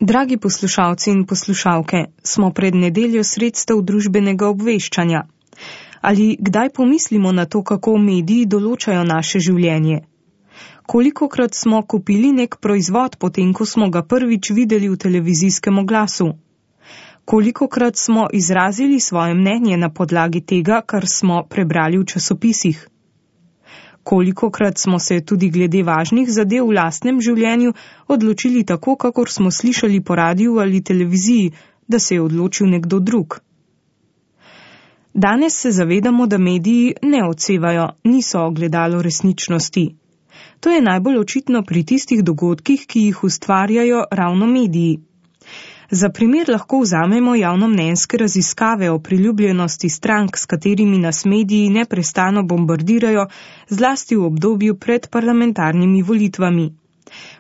Dragi poslušalci in poslušalke, smo pred nedeljo sredstev družbenega obveščanja. Ali kdaj pomislimo na to, kako mediji določajo naše življenje? Kolikokrat smo kupili nek proizvod, potem ko smo ga prvič videli v televizijskem oglasu? Kolikokrat smo izrazili svoje mnenje na podlagi tega, kar smo prebrali v časopisih? Kolikokrat smo se tudi glede važnih zadev v lastnem življenju odločili tako, kakor smo slišali po radiju ali televiziji, da se je odločil nekdo drug? Danes se zavedamo, da mediji ne odsevajo, niso ogledalo resničnosti. To je najbolj očitno pri tistih dogodkih, ki jih ustvarjajo ravno mediji. Za primer lahko vzamemo javnomnenjske raziskave o priljubljenosti strank, s katerimi nas mediji neprestano bombardirajo, zlasti v obdobju pred parlamentarnimi volitvami.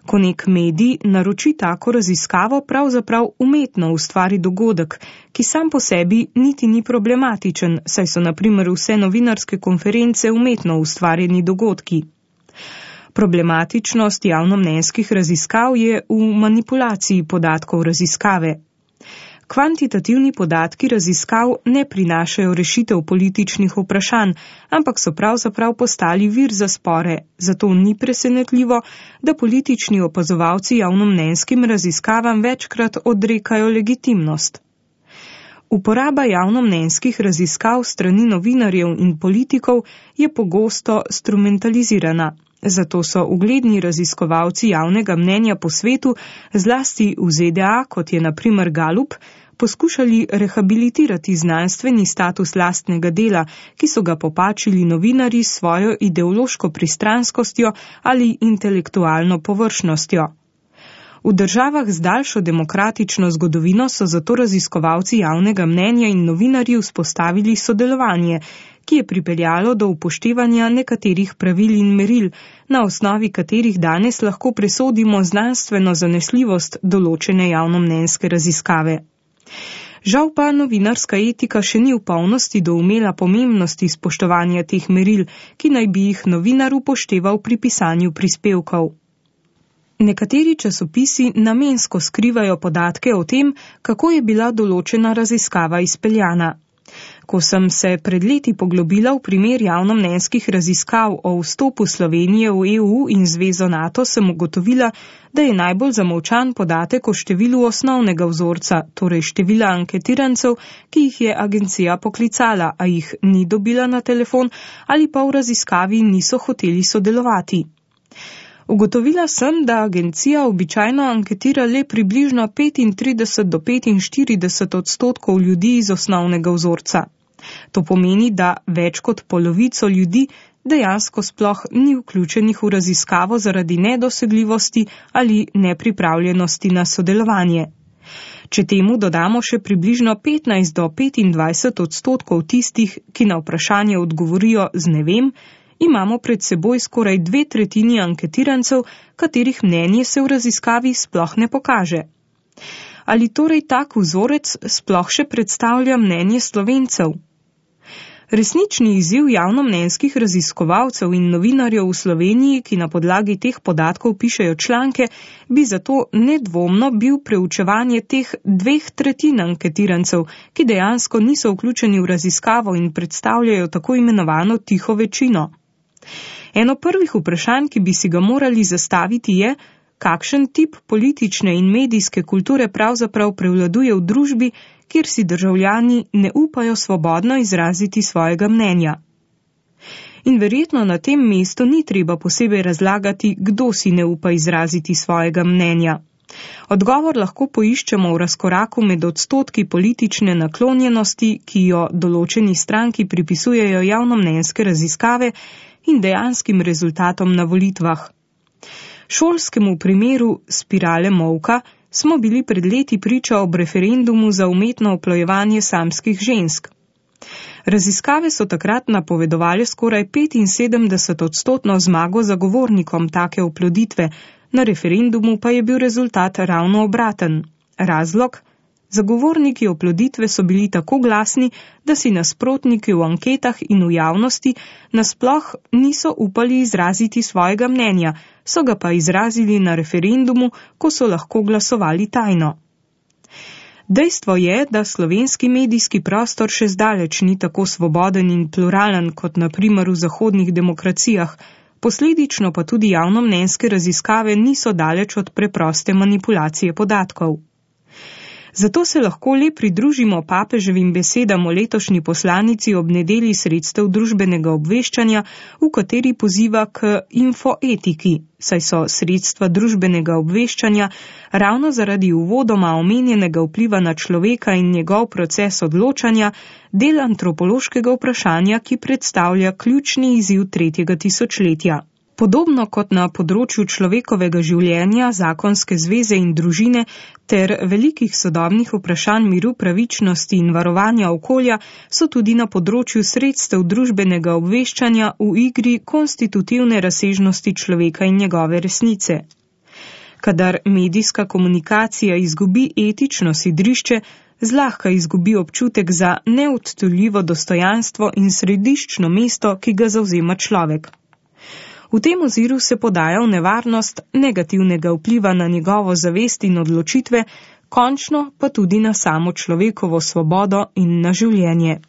Ko nek medij naroči tako raziskavo, pravzaprav umetno ustvari dogodek, ki sam po sebi niti ni problematičen, saj so na primer vse novinarske konference umetno ustvarjeni dogodki. Problematičnost javnomnenjskih raziskav je v manipulaciji podatkov raziskave. Kvantitativni podatki raziskav ne prinašajo rešitev političnih vprašanj, ampak so pravzaprav postali vir za spore, zato ni presenetljivo, da politični opazovalci javnomnenjskim raziskavam večkrat odrekajo legitimnost. Uporaba javnomnenjskih raziskav strani novinarjev in politikov je pogosto instrumentalizirana. Zato so ugledni raziskovalci javnega mnenja po svetu, zlasti v ZDA, kot je na primer Gallup, poskušali rehabilitirati znanstveni status lastnega dela, ki so ga popačili novinarji s svojo ideološko pristranskostjo ali intelektualno površnostjo. V državah z daljšo demokratično zgodovino so zato raziskovalci javnega mnenja in novinarji vzpostavili sodelovanje, ki je pripeljalo do upoštevanja nekaterih pravil in meril, na osnovi katerih danes lahko presodimo znanstveno zanesljivost določene javnomnenjske raziskave. Žal pa novinarska etika še ni v polnosti doumela pomembnosti spoštovanja teh meril, ki naj bi jih novinar upošteval pri pisanju prispevkov. Nekateri časopisi namensko skrivajo podatke o tem, kako je bila določena raziskava izpeljana. Ko sem se pred leti poglobila v primer javnomnenjskih raziskav o vstopu Slovenije v EU in Zvezo NATO, sem ugotovila, da je najbolj zamolčan podatek o številu osnovnega vzorca, torej števila anketirancev, ki jih je agencija poklicala, a jih ni dobila na telefon ali pa v raziskavi niso hoteli sodelovati. Ugotovila sem, da agencija običajno anketira le približno 35 do 45% ljudi iz osnovnega vzorca. To pomeni, da več kot polovico ljudi dejansko sploh ni vključenih v raziskavo zaradi nedosegljivosti ali nepripravljenosti na sodelovanje. Če temu dodamo še približno 15 do 25% tistih, ki na vprašanje odgovorijo z ne vem, imamo pred seboj skoraj 2/3 anketirancev, katerih mnenje se v raziskavi sploh ne pokaže. Ali torej tak vzorec sploh še predstavlja mnenje Slovencev? Resnični izziv javnomnenjskih raziskovalcev in novinarjev v Sloveniji, ki na podlagi teh podatkov pišejo članke, bi zato nedvomno bil preučevanje teh 2/3 anketirancev, ki dejansko niso vključeni v raziskavo in predstavljajo tako imenovano tiho večino. Eno prvih vprašanj, ki bi si ga morali zastaviti, je, kakšen tip politične in medijske kulture pravzaprav prevladuje v družbi, kjer si državljani ne upajo svobodno izraziti svojega mnenja. In verjetno na tem mestu ni treba posebej razlagati, kdo si ne upa izraziti svojega mnenja. Odgovor lahko poiščemo v razkoraku med odstotki politične naklonjenosti, ki jo določeni stranki pripisujejo javnomnenjske raziskave, in dejanskim rezultatom na volitvah. Šolskemu primeru spirale molka smo bili pred leti priča ob referendumu za umetno oplojevanje samskih žensk. Raziskave so takrat napovedovali skoraj 75% zmago zagovornikom take oploditve, na referendumu pa je bil rezultat ravno obraten. Razlog? Zagovorniki oploditve so bili tako glasni, da si nasprotniki v anketah in v javnosti nasploh niso upali izraziti svojega mnenja, so ga pa izrazili na referendumu, ko so lahko glasovali tajno. Dejstvo je, da slovenski medijski prostor še zdaleč ni tako svoboden in pluralen kot na primer v zahodnih demokracijah, posledično pa tudi javnomnenjske raziskave niso daleč od preproste manipulacije podatkov. Zato se lahko le pridružimo papeževim besedam o letošnji poslanici ob nedelji sredstev družbenega obveščanja, v kateri poziva k infoetiki, saj so sredstva družbenega obveščanja ravno zaradi uvodoma omenjenega vpliva na človeka in njegov proces odločanja del antropološkega vprašanja, ki predstavlja ključni izziv 3. tisočletja. Podobno kot na področju človekovega življenja, zakonske zveze in družine ter velikih sodobnih vprašanj miru, pravičnosti in varovanja okolja, so tudi na področju sredstev družbenega obveščanja v igri konstitutivne razsežnosti človeka in njegove resnice. Kadar medijska komunikacija izgubi etično sidrišče, zlahka izgubi občutek za neodtujljivo dostojanstvo in središčno mesto, ki ga zavzema človek. V tem oziru se podaja v nevarnost negativnega vpliva na njegovo zavest in odločitve, končno pa tudi na samo človekovo svobodo in na življenje.